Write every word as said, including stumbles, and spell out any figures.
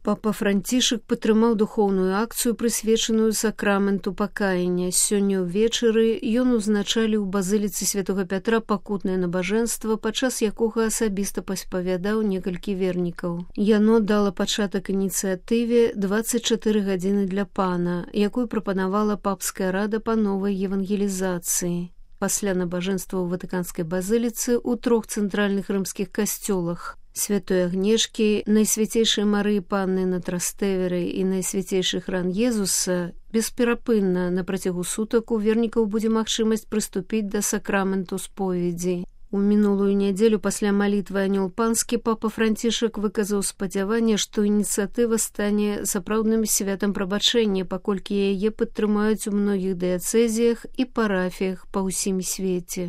Папа Францішак падтрымаў духоўную акцыю, прысвечаную сакраменту пакаяння. Сёння ўвечары ён узначаліў у базыліцы святога Пятра пакутнае набажэнства, падчас якога асабіста паспавядаў некалькі вернікаў. Яно дала пачатак ініцыятыве «дваццаць чатыры гадзіны для пана», якую прапанавала папская рада па новай евангелізацыі. Пасля набажэнства ў ватыканскай базыліцы ў трох цэнтральных рымскіх касцёлах Святой Агнешкі, Найсвяцейшай Марыі Панны на Трастэверы і Найсвяцейшы храм Езуса бесперапынна на працягу сутак у вернікаў будзе магчымасць прыступіць да сакраменту споведзі. У мінулую нядзелю пасля малітвы Анёл Панскі папа Францішак выказаў спадзяванне, што ініцыятыва стане сапраўдным святам прабачэння, паколькі яе падтрымаюць у многіх дыяцэзіях і парафіях па ўсім свеце.